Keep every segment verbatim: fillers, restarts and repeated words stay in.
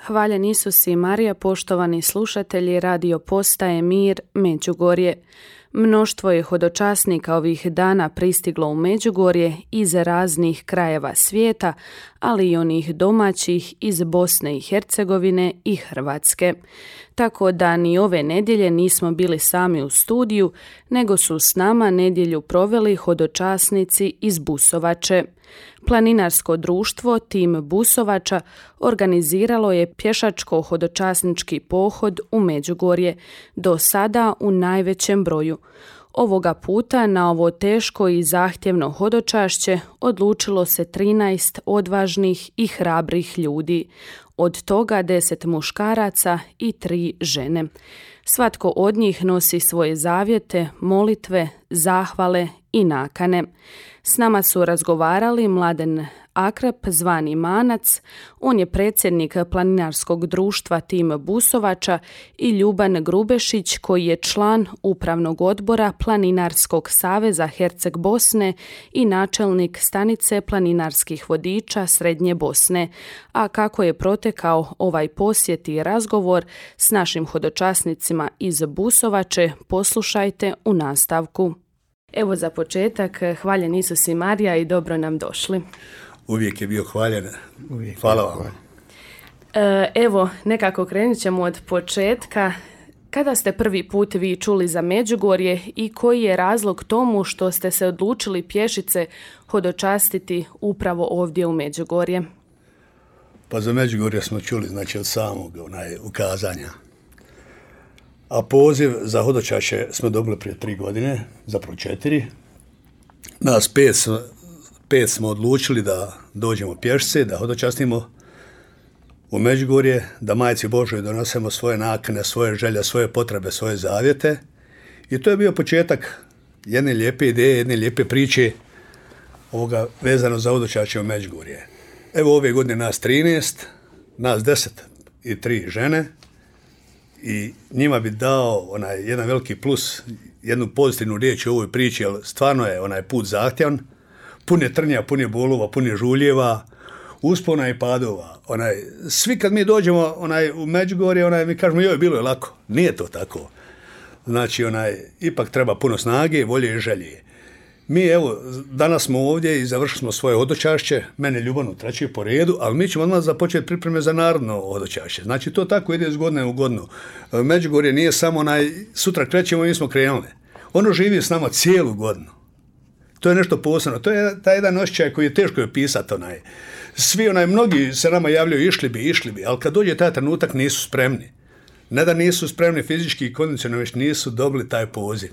Hvaljen Isus i Marija, poštovani slušatelji radio postaje Mir, Međugorje. Mnoštvo je hodočasnika ovih dana pristiglo u Međugorje iz raznih krajeva svijeta, ali i onih domaćih iz Bosne i Hercegovine i Hrvatske. Tako da ni ove nedjelje nismo bili sami u studiju, nego su s nama nedjelju proveli hodočasnici iz Busovače. Planinarsko društvo Tim Busovača organiziralo je pješačko-hodočasnički pohod u Međugorje, do sada u najvećem broju. Ovoga puta na ovo teško i zahtjevno hodočašće odlučilo se trinaest odvažnih i hrabrih ljudi, od toga deset muškaraca i tri žene. Svatko od njih nosi svoje zavjete, molitve, zahvale i nakane. S nama su razgovarali Mladen Akrap, zvani Manac, on je predsjednik planinarskog društva Tim Busovača, i Ljuban Grubešić, koji je član upravnog odbora Planinarskog saveza Herceg Bosne i načelnik stanice planinarskih vodiča Srednje Bosne. A kako je protekao ovaj posjet i razgovor s našim hodočasnicima iz Busovače, poslušajte u nastavku. Evo za početak, hvaljen Isus i Marija i dobro nam došli. Uvijek je bio hvaljen. Uvijek. Hvala vam. E, evo, nekako krenut ćemo od početka. Kada ste prvi put vi čuli za Međugorje i koji je razlog tomu što ste se odlučili pješice hodočastiti upravo ovdje u Međugorje? Pa za Međugorje smo čuli, znači, od samog onaj, ukazanja. A poziv za hodočašće smo dobili prije tri godine, zapravo četiri. Nas pet, pet smo odlučili da dođemo pješice, da hodočastimo u Međugorje, da Majci Božoj donosemo svoje nakane, svoje želje, svoje potrebe, svoje zavjete. I to je bio početak jedne lijepe ideje, jedne lijepe priče ovoga vezano za hodočašće u Međugorje. Evo ove godine nas trinaest, nas deset i tri žene. I njima bi dao onaj jedan veliki plus, jednu pozitivnu riječ u ovoj priči, jer stvarno je onaj put zahtjevan, pun je trnja, pun je bolova, pun je žuljeva, uspona i padova. Onaj, svi kad mi dođemo onaj, u Međugorje, onaj, mi kažemo joj, bilo je lako. Nije to tako. Znači, onaj, ipak treba puno snage, volje i želje. Mi, evo, danas smo ovdje i završili smo svoje hodočašće, mene Ljubanu treći po redu, ali mi ćemo odmah započeti pripreme za narodno hodočašće. Znači, to tako ide iz godine u godinu. Međugorje nije samo onaj, sutra krećemo i mi smo krenuli. Ono živi s nama cijelu godinu. To je nešto posebno. To je taj jedan osjećaj koji je teško opisati. Onaj. Svi, onaj, mnogi se nama javljaju išli bi, išli bi, ali kad dođe taj trenutak nisu spremni. Ne da nisu spremni fizički i kondicionalno, već nisu dobili taj poziv.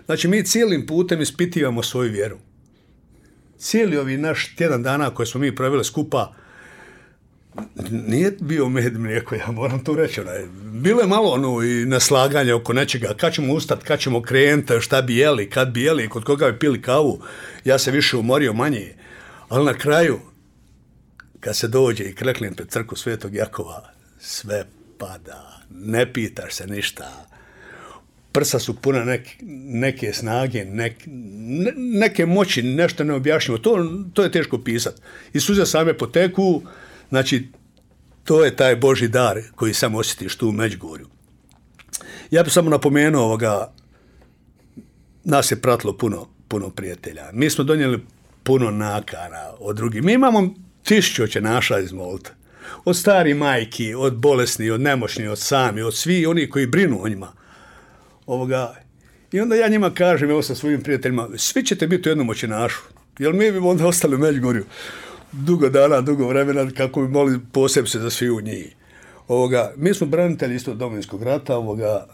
Znači, mi cijelim putem ispitivamo svoju vjeru. Cijeli ovi naš tjedan dana koje smo mi proveli skupa nije bio med mlijeko, ja moram to reći. Onaj. Bilo je malo ono i naslaganja oko nečega, kad ćemo ustati, kad ćemo krenuti, šta bi jeli, kad bi jeli, kod koga bi pili kavu. Ja se više umorio manje. Ali na kraju, kad se dođe i kreknem pred crkvu Svetog Jakova, sve pada, ne pitaš se ništa. Prsa su puna neke, neke snage, nek, ne, neke moći, nešto neobjašnjivo. To, to je teško pisati. I suze same poteku, znači, to je taj Božji dar koji samo osjetiš tu u Međugorju. Ja bih samo napomenuo ovoga, nas je pratilo puno, puno prijatelja. Mi smo donijeli puno nakana od drugih. Mi imamo tisućoće naša izmolite. Od stari majki, od bolesni, od nemoćni, od sami, od svi oni koji brinu o njima. Ovoga. I onda ja njima kažem, evo sa svojim prijateljima, svi ćete biti u jednom očinašu, jer mi bi onda ostali u Međugorju dugo dana, dugo vremena, kako bi mogli posebno se za svi u njih. Ovoga. Mi smo branitelji isto Domovinskog rata, ovoga.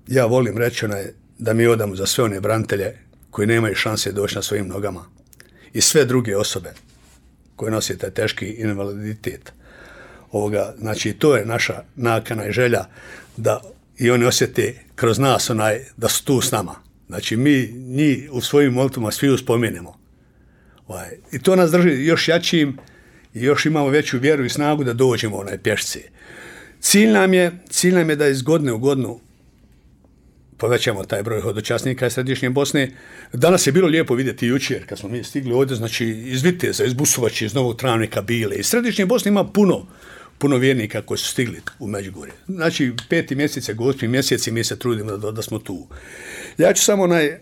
Ja volim reći onaj, da mi odamo za sve one branitelje koji nemaju šanse doći na svojim nogama i sve druge osobe koje nose taj teški invaliditet. Ovoga. Znači, to je naša nakana i želja da i oni osjete kroz nas onaj, da su tu s nama. Znači, mi njih u svojim molitvama svi uspomenemo. Ovaj. I to nas drži još jačim i još imamo veću vjeru i snagu da dođemo u onaj pješice. Cilj nam je, cilj nam je da iz godine u godinu povećamo taj broj hodočasnika iz Središnje Bosne. Danas je bilo lijepo vidjeti jučer kad smo mi stigli ovdje, znači iz Viteza, iz Busovače, iz Novog Travnika bile. Iz Središnje Bosne ima puno, puno vjernika koji su stigli u Međugorje. Znači, peti mjesec, gospni mjesec i mi se trudimo da, da smo tu. Ja ću samo naj,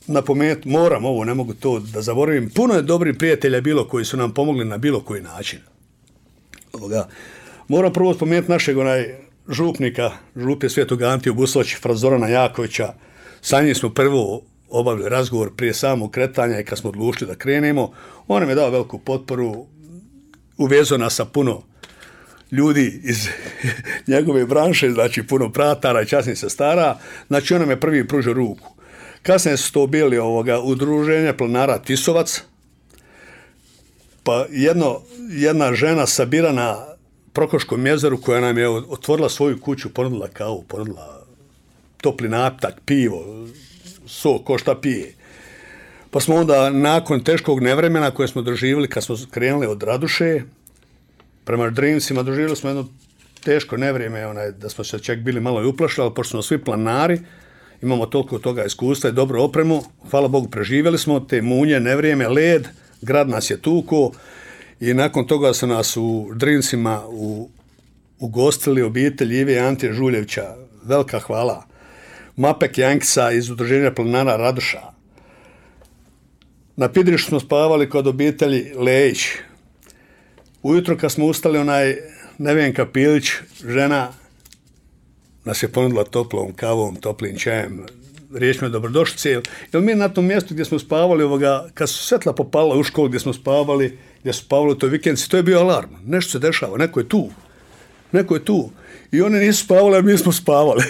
napomenuti, moram ovo, ne mogu to da zaboravim, puno je dobrih prijatelja bilo koji su nam pomogli na bilo koji način. Ovoga. Moram prvo spomenuti našeg onaj župnika, župe Svetog Antiju Busovića, fra Zorana Jakovića. Sa njim smo prvo obavili razgovor prije samog kretanja i kad smo odlučili da krenemo. On nam je dao veliku potporu, uvezao nas sa puno ljudi iz njegove branše, znači puno pratara i časnih sestara. Znači on nam je prvi pružio ruku. Kasnije su to bili ovoga udruženja planara Tisovac, pa jedno, jedna žena sabira na Prokoškom jezeru koja nam je otvorila svoju kuću, ponudila kavu, ponudila topli napitak, pivo, sok, ko šta pije. Pa smo onda nakon teškog nevremena koje smo doživjeli kad smo krenuli od Raduše prema Drimcima, doživjeli smo jedno teško nevrijeme, onaj, da smo se čak bili malo i uplašili, ali pošto smo svi planari, imamo toliko toga iskustva i dobru opremu, hvala Bogu preživjeli smo te munje, nevrijeme, led, grad nas je tuko i nakon toga su nas u Drimcima u, ugostili obitelj Ive i Ante Žuljevića, velika hvala. Mapek Jankisa iz udruženja planara Raduša. Na Pidrišu smo spavali kod obitelji Lejić. Ujutro kad smo ustali, onaj Nevenka Pilić, žena, nas je ponudila toplom kavom, toplim čajem, riječima dobrodošlice. Jer mi na tom mjestu gdje smo spavali, ovoga, kad su svetla popala u školu gdje smo spavali, gdje su spavali u toj vikendici, to je bio alarm. Nešto se dešava, neko je tu. Neko je tu. I oni nisu spavali, a mi smo spavali.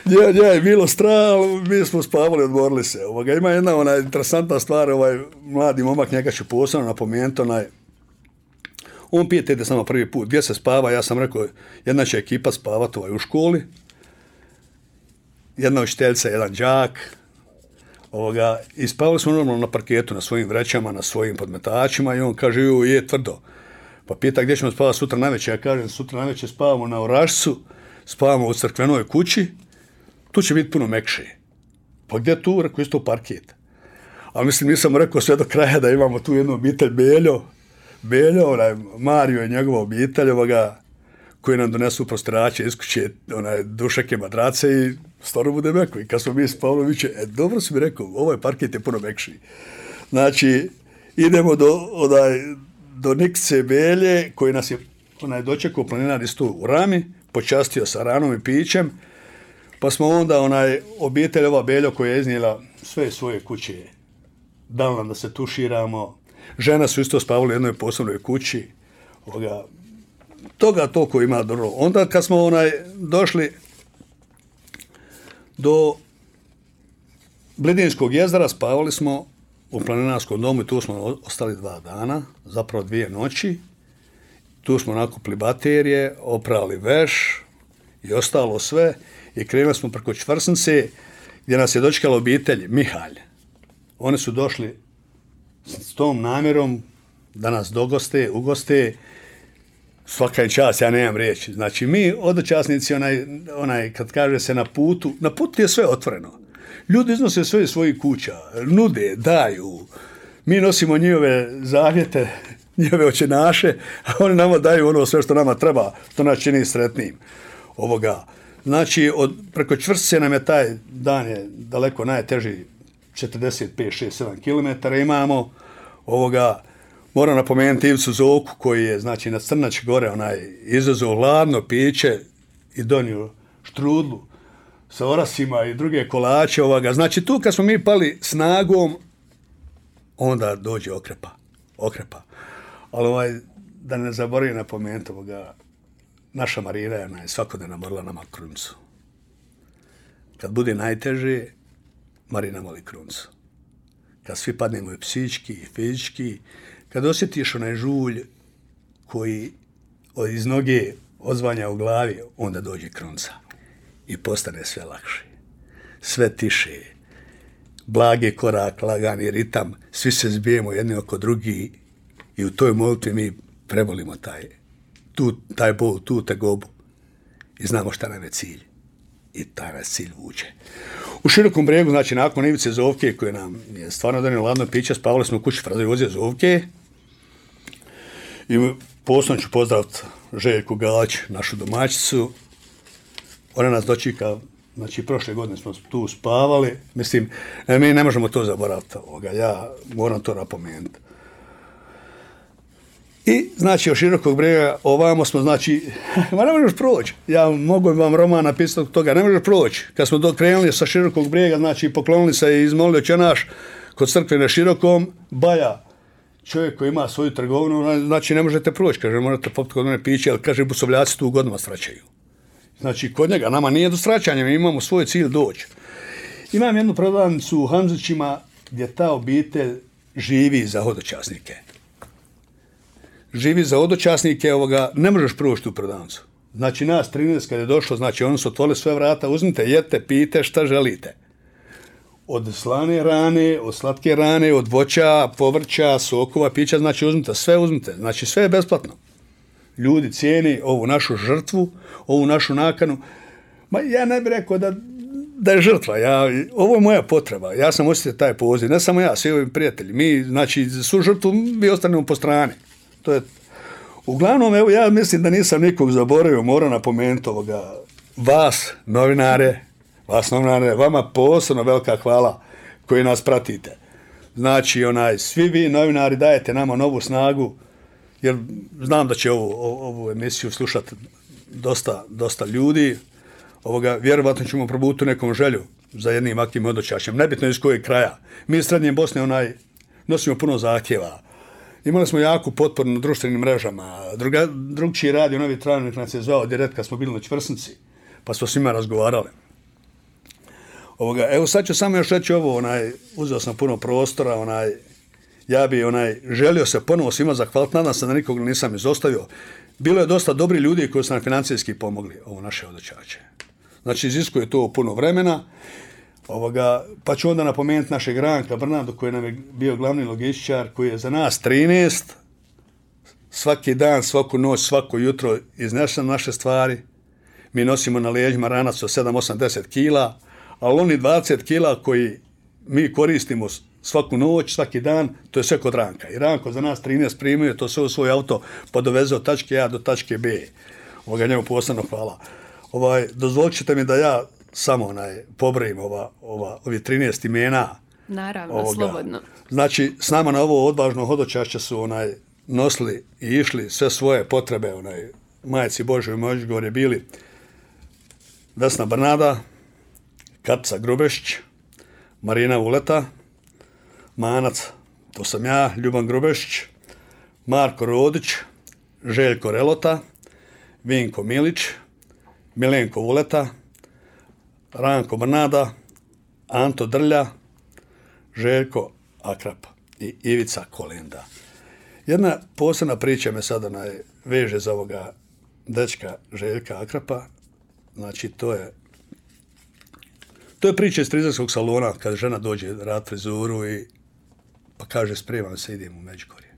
Nje, nje je bilo strah, mi smo spavali, odmorili se. Ovoga, ima jedna ona interesantna stvar, ovaj mladi momak, njega ću posebno napomenuti, onaj, on pije te samo prvi put, gdje se spava, ja sam rekao, jedna će ekipa spavati ovaj, u školi, jedna učiteljica, jedan đak, ovoga, i spavali smo normalno na parketu, na svojim vrećama, na svojim podmetačima i on kaže, ju, je tvrdo. Pa pita gdje ćemo spavati sutra navečer, ja kažem, sutra navečer spavamo na Orašcu, spavamo u crkvenoj kući, tu će biti puno mekše. Pa gdje tu? Rekao, isto parket. Ali mislim, nisam rekao sve do kraja da imamo tu jednu obitelj Beljo, Beljo, onaj Mario i njegova obitelj, ovoga, koji nam donesu prostirače iz kuće, onaj dušake, madrace i stvarno bude meko. I kad smo mi spavali, viće, e, dobro si mi rekao, ovaj parket je puno mekši. Znači, idemo do, onaj, do Nikice Belje, koji nas je onaj dočekao planinar isto u Rami, počastio sa ranom i pićem, pa smo onda onaj obitelj ova Beljo koja je iznijela sve svoje kuće, dala nam da se tuširamo, žena su isto spavali u jednoj posebnoj kući, ovoga, toga toliko ima dobro. Onda kad smo onaj došli do Blidinskog jezera, spavali smo u planinarskom domu i tu smo ostali dva dana, zapravo dvije noći. Tu smo nakupili baterije, oprali veš i ostalo sve i krenuli smo preko Čvrsnice gdje nas je dočekala obitelj Mihalj. Oni su došli s tom namjerom da nas dogoste, ugoste, svaka je čast, ja nemam riječi. Znači mi, odočasnici, onaj, onaj, kad kaže se na putu, na putu je sve otvoreno. Ljudi iznose sve iz svojih kuća, nude, daju. Mi nosimo njihove zavjete, njihove očenaše, a oni nama daju ono sve što nama treba, što nas čini sretnim. Ovoga. Znači, od, preko Čvrstice nam je taj dan je daleko najteži, četrdeset pet, šest, sedam kilometara imamo. Ovoga, moram napomenuti Ivicu Zoku, koji je, znači, na Crnač gore, onaj, izazvao hladno piće i donio štrudlu sa orasima i druge kolače, ovoga. Znači, tu kad smo mi pali snagom, onda dođe okrepa. Okrepa. Ali ovaj, da ne zaboravim napomenuti ovoga, naša Marina je svakodnevno morala nama krunicu. Kad bude najteže, Marina moli krunicu. Kad svi padnemo i psički i fizički, kad osjetiš onaj žulj koji iz noge odzvanja u glavi, onda dođe krunca i postane sve lakše. Sve tiše, blage korak, lagani ritam, svi se zbijemo jedni oko drugi i u toj molitvi mi prebolimo taj, tu, taj bol, tu tegobu i znamo šta nam je cilj. I taj nas cilj vuče. U Širokom Brijegu, znači nakon Ivice Zovke, koje nam je stvarno donio ladno piće, spavali smo u kući Fraze Jozije Zovke i posebno ću pozdraviti Željku Galić, našu domaćicu. Ona nas dočika, znači prošle godine smo tu spavali. Mislim, mi ne možemo to zaboraviti. Ovoga. Ja moram to napomenuti. I, znači, od Širokog Brijega ovamo smo, znači, ma ne možeš proći. Ja mogu vam roman napisati od toga, ne možeš proći. Kad smo krenuli sa Širokog Brijega, znači, poklonili se i izmolili Oče naš kod crkve na Širokom, Baja, čovjek koji ima svoju trgovinu, znači, ne možete proći. Kaže, morate popiti kod mene piće, ali kaže, Busovljaci tu godinama sraćaju. Znači, kod njega, nama nije do sraćanja, mi imamo svoj cilj doći. Imam jednu prodavnicu u Hamzićima gdje ta obitelj živi za hodočasnike. Živi za hodočasnike, ovoga, ne možeš proći tu prodavnicu. Znači, nas trinaest kad je došlo, znači, oni su otvorili sve vrata, uzmite, jedite, pijte šta želite. Od slane rane, od slatke rane, od voća, povrća, sokova, pića, znači, uzmite, sve uzmite. Znači, sve je besplatno. Ljudi cijeni ovu našu žrtvu, ovu našu nakanu. Ma ja ne bih rekao da, da je žrtva. Ja, ovo je moja potreba. Ja sam osjetio taj poziv. Ne samo ja, svi ovi prijatelji. Mi, znači, su žrtvu, mi ostanemo po strani. To je... Uglavnom, evo, ja mislim da nisam nikog zaboravio, moram napomenuti ovoga. Vas, novinare, vas, novinare, vama posebno velika hvala koji nas pratite. Znači, onaj, svi vi, novinari, dajete nama novu snagu, jer znam da će ovu, ovu emisiju slušati dosta, dosta ljudi. Ovoga, vjerovatno ćemo probuti nekom želju za jednim aktivnim hodočašćem. Nebitno iz kojeg kraja. Mi iz Srednje Bosne onaj, nosimo puno zahtjeva. Imali smo jaku potporu na društvenim mrežama. Druga, drugčiji radio, novi travnik nas je zvao direkt kad smo bili na Čvrsnici, pa smo svima razgovarali. Ovoga, evo sad ću samo još reći ovo, onaj, uzeo sam puno prostora, onaj, ja bi onaj, želio se ponovo svima zahvaliti, nadam se da nikog nisam izostavio. Bilo je dosta dobri ljudi koji su nam financijski pomogli, ovo naše hodočače. Znači, iziskuje to puno vremena. Ovoga, pa ću onda napomenuti našeg Ranka Brnadu, koji nam je bio glavni logističar, koji je za nas trinaest, svaki dan, svaku noć, svako jutro iznesen naše stvari. Mi nosimo na leđima ranac od sedam, osam, deset kila, ali oni dvadeset kila koji mi koristimo svaku noć, svaki dan, to je sve kod Ranka. I Ranko za nas trinaest primio, to sve u svoj auto pa doveze od tačke A do tačke B. Ovoga, njemu posebno hvala. Ovaj, dozvolit ćete mi da ja samo onaj, pobrojim ova, ova, ovi trinaest imena. Naravno, ovoga. Slobodno. Znači, s nama na ovo odvažno hodočašće su onaj, nosili i išli sve svoje potrebe, onaj, Majci Božoj Međugorje bili Vesna Brnada, Katica Grubešić, Marina Vuleta, Manac, to sam ja, Ljuban Grubešić, Marko Rodić, Željko Relota, Vinko Milić, Milenko Vuleta, Ranko Brnada, Anto Drlja, Željko Akrap i Ivica Kolenda. Jedna posebna priča me sada veže za ovoga dečka Željka Akrapa. Znači, to je to je priča iz frizerskog salona, kada žena dođe rad frizuru i pa kaže, spremam se, idem u Međugorje.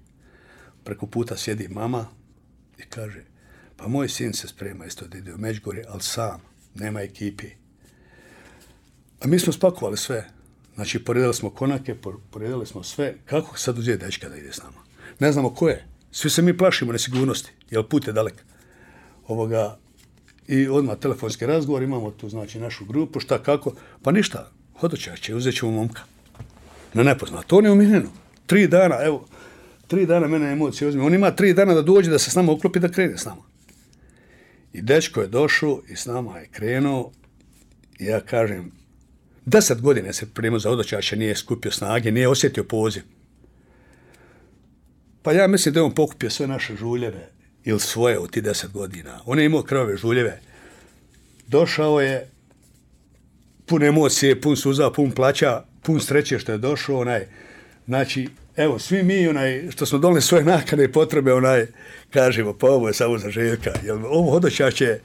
Preko puta sjedi mama i kaže, pa moj sin se sprema isto da ide u Međugorje, ali sam, nema ekipi. A mi smo spakovali sve. Znači, poredali smo konake, poredali smo sve. Kako sad uzeti dečka da ide s nama? Ne znamo ko je. Svi se mi plašimo nesigurnosti, jer put je dalek. Ovoga, i odmah telefonski razgovor, imamo tu, znači, našu grupu, šta, kako. Pa ništa, hodočašće, uzet ćemo momka. Na nepoznato. On je u Minhenu. Tri dana, evo, tri dana mene emocije uzme. On ima tri dana da dođe, da se s nama uklopi, da krene s nama. I dečko je došao i s nama je krenuo. I ja kažem, deset godina se pripremio za hodočašće, nije skupio snage, nije osjetio poziv. Pa ja mislim da je on pokupio sve naše žuljeve ili svoje u ti deset godina. On je imao krvave žuljeve. Došao je pun emocije, pun suza, pun plaća, pun sreće što je došao. Onaj, znači, evo, svi mi onaj, što smo doneli svoje nakane i potrebe, onaj, kažemo, pa ovo je samo za Željka. Jer ovo hodočašće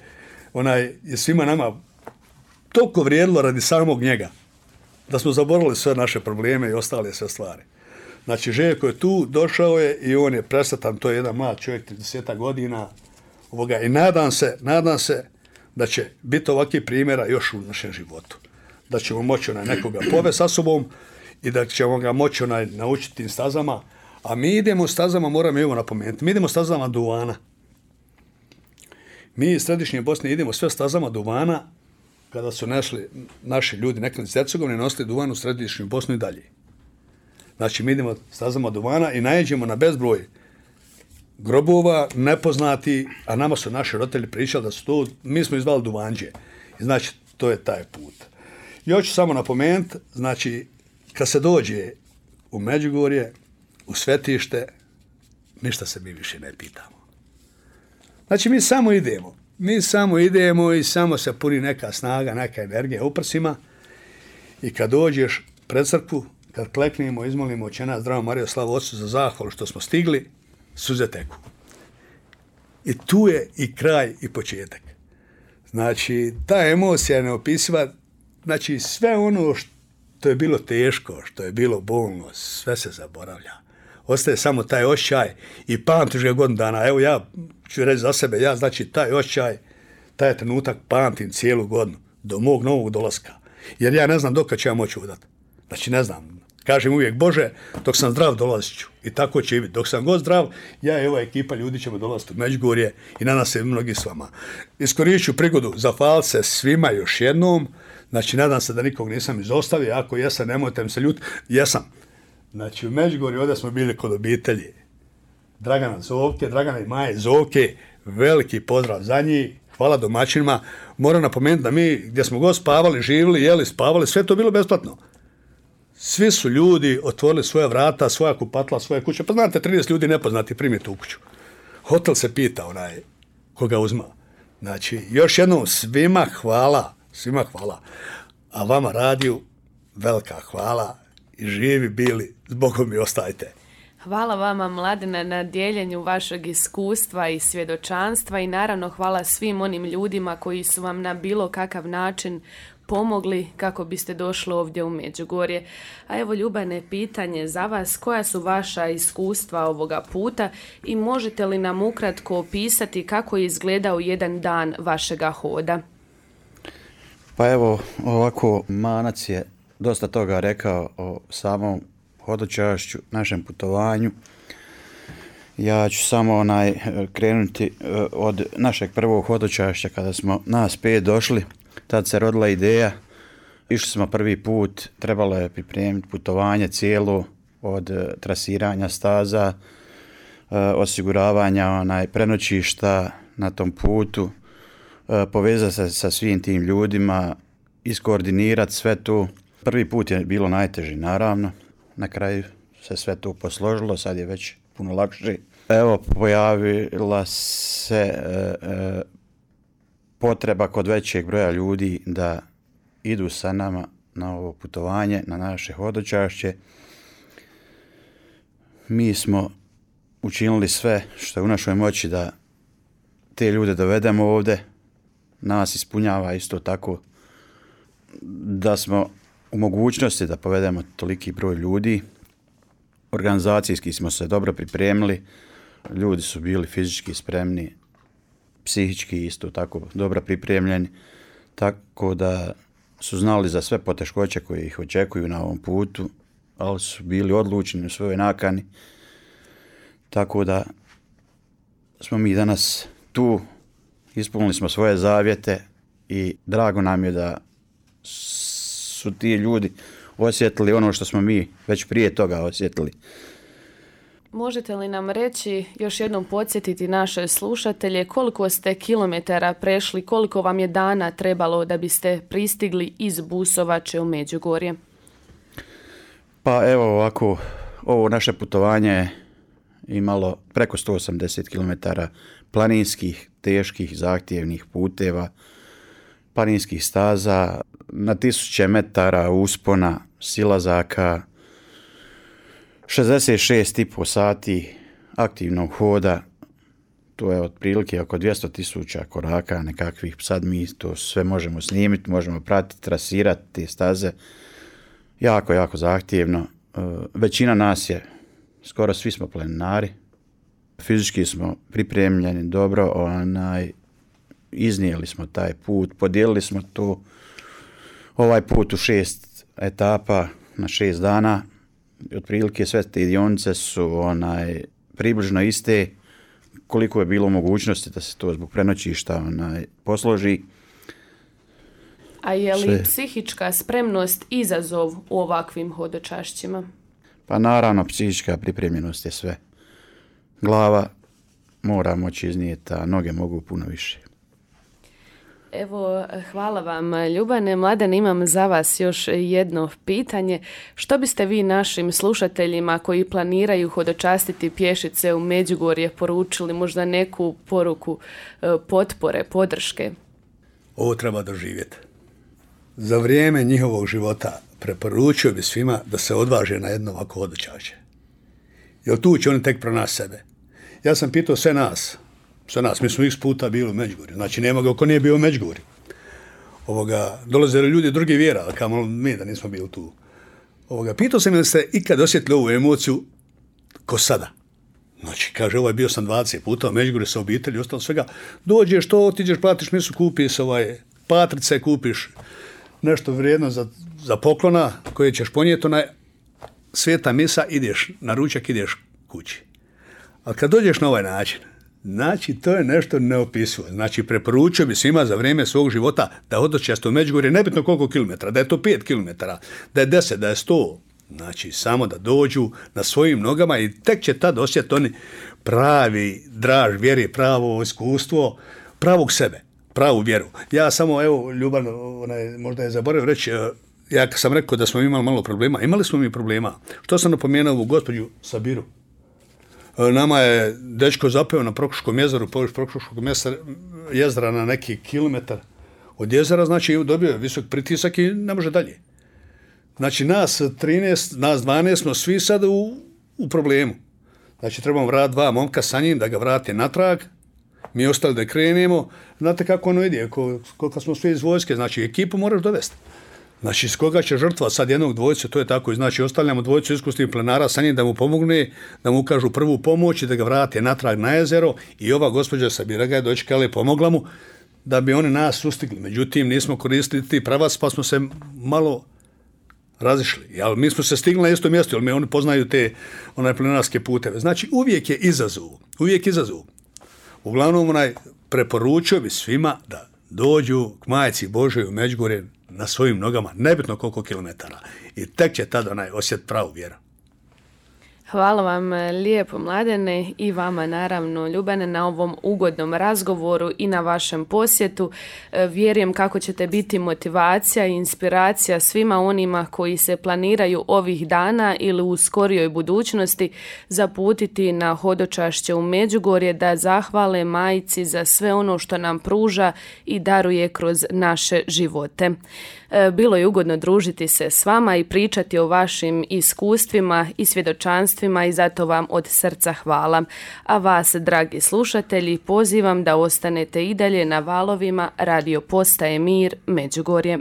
onaj, je svima nama toliko vrijedilo radi samog njega, da smo zaboravili sve naše probleme i ostale sve stvari. Znači, Željko je tu, došao je i on je presretan, to je jedan mlad čovjek, trideset godina, ovoga, i nadam se, nadam se da će biti ovakvih primjera još u našem životu. Da ćemo moći onaj nekoga povesti sa sobom i da ćemo ga moći onaj naučiti tim stazama, A mi idemo stazama, moram evo napomenuti, mi idemo stazama duvana. Mi iz središnje Bosne idemo sve stazama duvana, kada su našli naši ljudi nekada iz Hercegovine, nosili duvan u središnju Bosnu i dalje. Znači, mi idemo stazama duvana i najeđemo na bezbroj grobova, nepoznati, a nama su naši roditelji pričali da su to, mi smo izvali duvanđe. I znači, to je taj put. I hoću samo napomenuti, znači, kad se dođe u Međugorje, u svetište, ništa se mi više ne pitamo. Znači, mi samo idemo. Mi samo idemo i samo se puni neka snaga, neka energija u prsima. I kad dođeš pred crkvu, kad kleknemo, izmolimo Oče naš, zdravo Marijo, slavu Otcu za zahvalu što smo stigli, suze teku. I tu je i kraj i početak. Znači, ta emocija je neopisiva. Znači, sve ono što je bilo teško, što je bilo bolno, sve se zaboravlja. Ostaje samo taj osjećaj i pamtiš ga godinu dana. Evo ja ću reći za sebe, ja znači taj osjećaj, taj trenutak pamtim cijelu godinu, do mog novog dolaska. Jer ja ne znam dok ću ja moći udati. Znači ne znam. Kažem uvijek, Bože, dok sam zdrav dolazit ću. I tako će i biti. Dok sam god zdrav, ja i ova ekipa ljudi ćemo dolaziti u Međugorje i nadam se mnogi s vama. Iskoristit ću prigodu, zahvaliti se svima još jednom. Znači nadam se da nikog nisam izostavio. Ako jesam, nemojte mi se ljuti. Jesam. Znači u Međugorju ovdje smo bili kod obitelji Dragana Zovke, Dragana i Maje Zovke. Veliki pozdrav za njih. Hvala domaćinima. Moram napomenuti da mi gdje smo god spavali, živjeli, jeli, spavali, sve to bilo besplatno. Svi su ljudi otvorili svoja vrata, svoja kupatla, svoje kuće. Pa znate, trideset ljudi nepoznati primiti u kuću. Hotel se pita onaj koga uzma. Znači, još jednom svima hvala, svima hvala. A vama radiju velika hvala i živi bili, zbogom mi ostajte. Hvala vama, Mladene, na dijeljenju vašeg iskustva i svjedočanstva i naravno hvala svim onim ljudima koji su vam na bilo kakav način pomogli kako biste došli ovdje u Međugorje. A evo, Ljubane, pitanje za vas, koja su vaša iskustva ovoga puta i možete li nam ukratko opisati kako je izgledao jedan dan vašega hoda? Pa evo, ovako, Manac je dosta toga rekao o samom hodočašću, našem putovanju. Ja ću samo onaj krenuti od našeg prvog hodočašća kada smo nas pet došli. Tad se rodila ideja, išli smo prvi put, trebalo je pripremiti putovanje cijelo od trasiranja staza, osiguravanja onaj prenoćišta na tom putu, povezati se sa svim tim ljudima, iskoordinirati sve to. Prvi put je bilo najteži, naravno. Na kraju se sve to posložilo, sad je već puno lakše. Evo, pojavila se e, e, potreba kod većeg broja ljudi da idu sa nama na ovo putovanje, na naše hodočašće. Mi smo učinili sve što je u našoj moći da te ljude dovedemo ovdje. Nas ispunjava isto tako da smo u mogućnosti da povedemo toliki broj ljudi. Organizacijski smo se dobro pripremili, ljudi su bili fizički spremni, psihički isto tako dobro pripremljeni, tako da su znali za sve poteškoće koje ih očekuju na ovom putu, ali su bili odlučni u svojoj nakani, tako da smo mi danas tu, ispunili smo svoje zavjete i drago nam je da su ti ljudi osjetili ono što smo mi već prije toga osjetili. Možete li nam reći, još jednom podsjetiti naše slušatelje, koliko ste kilometara prešli, koliko vam je dana trebalo da biste pristigli iz Busovače u Međugorje? Pa evo ovako, ovo naše putovanje je imalo preko sto osamdeset kilometara planinskih, teških, zahtjevnih puteva, planinskih staza, na tisuće metara uspona, silazaka, šezdeset šest i pol sati aktivnog hoda, to je otprilike oko dvjesto tisuća koraka nekakvih, sad mi to sve možemo snimiti, možemo pratiti, trasirati te staze, jako, jako zahtjevno. Većina nas je, skoro svi smo planinari, fizički smo pripremljeni dobro, onaj, iznijeli smo taj put, podijelili smo to ovaj put u šest etapa na šest dana. otprilike sve te dionice su onaj, približno iste, koliko je bilo mogućnosti da se to zbog prenoćišta onaj, posloži. A je li Sve. psihička spremnost izazov u ovakvim hodočašćima? Pa naravno, psihička pripremljenost je sve. Glava mora moći iznijeti, a noge mogu puno više. Evo, hvala vam Ljubane. Mladen, imam za vas još jedno pitanje. Što biste vi našim slušateljima koji planiraju hodočastiti pješice u Međugorje poručili, možda neku poruku potpore, podrške? Ovo treba doživjeti. Za vrijeme njihovog života preporučio bi svima da se odvaže na jedno ovako hodočašće. Jer tu će oni tek pronaći sebe. Ja sam pitao sve nas, sve nas, mi smo x puta bili u Međugorju, znači nema ga ko nije bio u Međugorju. Ovoga, dolazili ljudi drugi vjera, ali kamo mi da nismo bili tu. Ovoga, pitao sam ili ste ikad osjetili ovu emociju ko sada. Znači, kaže, ovaj bio sam dvadeset puta u Međugorju sa obitelji, ostalo svega. Dođeš to, otiđeš, platiš misu, kupiš ovaj, patrice, kupiš nešto vrijedno za, za poklona koje ćeš ponijeti, onaj sveta misa, ideš na ručak, ideš kući. Ali kad dođeš na ovaj način, znači to je nešto neopisivo. Znači preporučio bi svima za vrijeme svog života da hodočaste u Međugorje, nebitno koliko kilometara, da je to pet kilometara, da je deset, da je sto. Znači samo da dođu na svojim nogama i tek će tad osjetiti oni pravi draž vjeri, pravo iskustvo, pravog sebe, pravu vjeru. Ja samo, evo, Ljuban, onaj, možda je zaboravio reći, ja sam rekao da smo imali malo problema. Imali smo mi problema. Što sam napomenuo u gospođu Sabiru? Nama je dečko zapeo na Prokuškom jezeru, površ Prokuškog jezera na neki kilometar od jezera, znači dobio je visok pritisak i ne može dalje. Znači nas trinaest, nas dvanaest smo svi sad u, u problemu. Znači trebamo vratiti dva momka sa njim da ga vrate natrag, mi ostali da krenemo. Znate kako ono ide, koliko smo svi iz vojske, znači ekipu moraš dovesti. Znači, s koga će žrtva sad jednog dvojice, to je tako. Znači, ostavljamo dvojicu iskusnih plenara sa njim da mu pomogne, da mu ukažu prvu pomoć i da ga vrate natrag na jezero. I ova gospođa Sabira ga je dočekala i pomogla mu da bi oni nas sustigli. Međutim, nismo koristili ti pravac, pa smo se malo razišli. Ali mi smo se stigli na isto mjesto, jer mi oni poznaju te onaj plenarske puteve. Znači, uvijek je izazov. Uvijek izazov. Uglavnom, onaj, preporučio bi svima da dođu k Majci Božoj u Međugorje na svojim nogama, nebitno koliko kilometara. I tek će tada onaj osjet pravu vjeru. Hvala vam lijepo, Mladene, i vama naravno, Ljubane, na ovom ugodnom razgovoru i na vašem posjetu. Vjerujem kako ćete biti motivacija i inspiracija svima onima koji se planiraju ovih dana ili u skorijoj budućnosti zaputiti na hodočašće u Međugorje, da zahvale Majci za sve ono što nam pruža i daruje kroz naše živote. Bilo je ugodno družiti se s vama i pričati o vašim iskustvima i svjedočanstvima i zato vam od srca hvala. A vas, dragi slušatelji, pozivam da ostanete i dalje na valovima Radio Postaje Mir Međugorje.